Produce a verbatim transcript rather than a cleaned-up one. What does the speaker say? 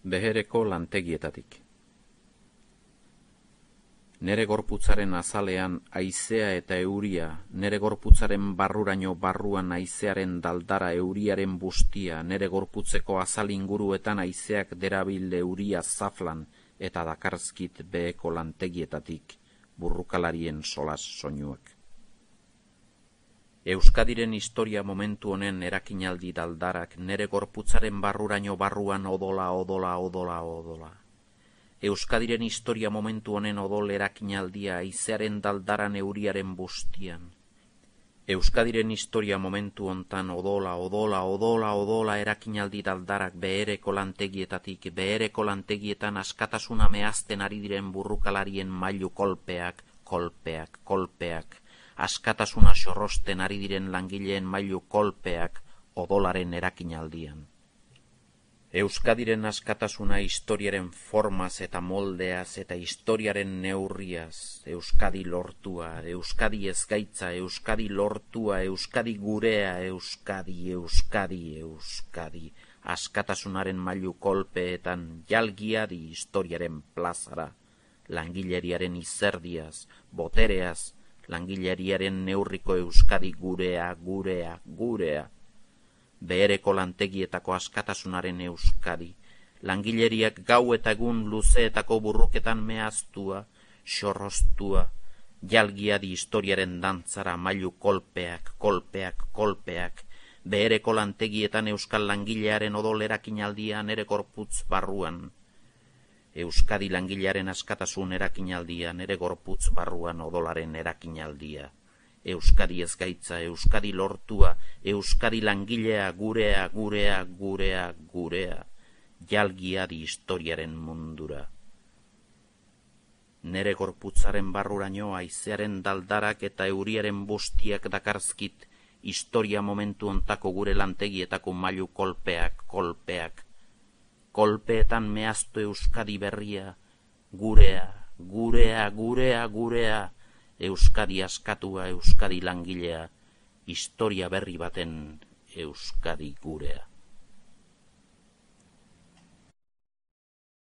Behereko lantegietatik. Nere gorputzaren azalean haizea eta euria, nere gorputzaren barruraino barruan haizearen daldara euriaren bustia, nere gorputzeko azal inguruetan haizeak derabil euria zaflan eta dakarzkit beheko lantegietatik burrukalarien solas soinuak. Euskadiren historia momentu honen erakinaldi daldarak nere gorputzaren barruraino barruan odola, odola, odola, odola. Euskadiren historia momentu honen odol erakinaldia haizearen daldaran euriaren bustian. Euskadiren historia momentu hontan odola, odola, odola, odola erakinaldi daldarak behereko lantegietatik, behereko lantegietan askatasuna mehazten ari diren burrukalarien mailu kolpeak, kolpeak, kolpeak. Askatasuna xorrosten ari diren langileen mailu kolpeak odolaren erakinaldian. Euskadiren askatasuna historiaren formaz eta moldeaz eta historiaren neurriaz, Euskadi lortua, Euskadi ezgaitza, Euskadi lortua, Euskadi gurea, Euskadi, Euskadi, Euskadi, askatasunaren mailu kolpeetan jalgiadi historiaren plazara, langileriaren izerdiaz, botereaz, langileriaren neurriko Euskadi gurea, gurea, gurea. Behereko lantegietako askatasunaren Euskadi, langileriak gau eta egun luzeetako burruketan mehaztua, xorrostua, jalgiadi historiaren dantzara mailu kolpeak, kolpeak, kolpeak, behereko lantegietan euskal langilearen odol erakinaldia nere gorputz barruan. Euskadi langilearen askatasun erakinaldia nere gorputz barruan odolaren erakinaldia. Euskadi ezgaitza, Euskadi lortua, Euskadi langilea, gurea, gurea, gurea, gurea, jalgiadi historiaren mundura. Nere gorputzaren barruraino haizearen daldarak eta euriaren bustiak dakarzkit historia momentu ontako gure lantegietako mailu kolpeak, kolpeak. Kolpeetan mehaztu Euskadi berria, gurea, gurea, gurea, gurea, Euskadi askatua, Euskadi langilea, historia berri baten Euskadi gurea.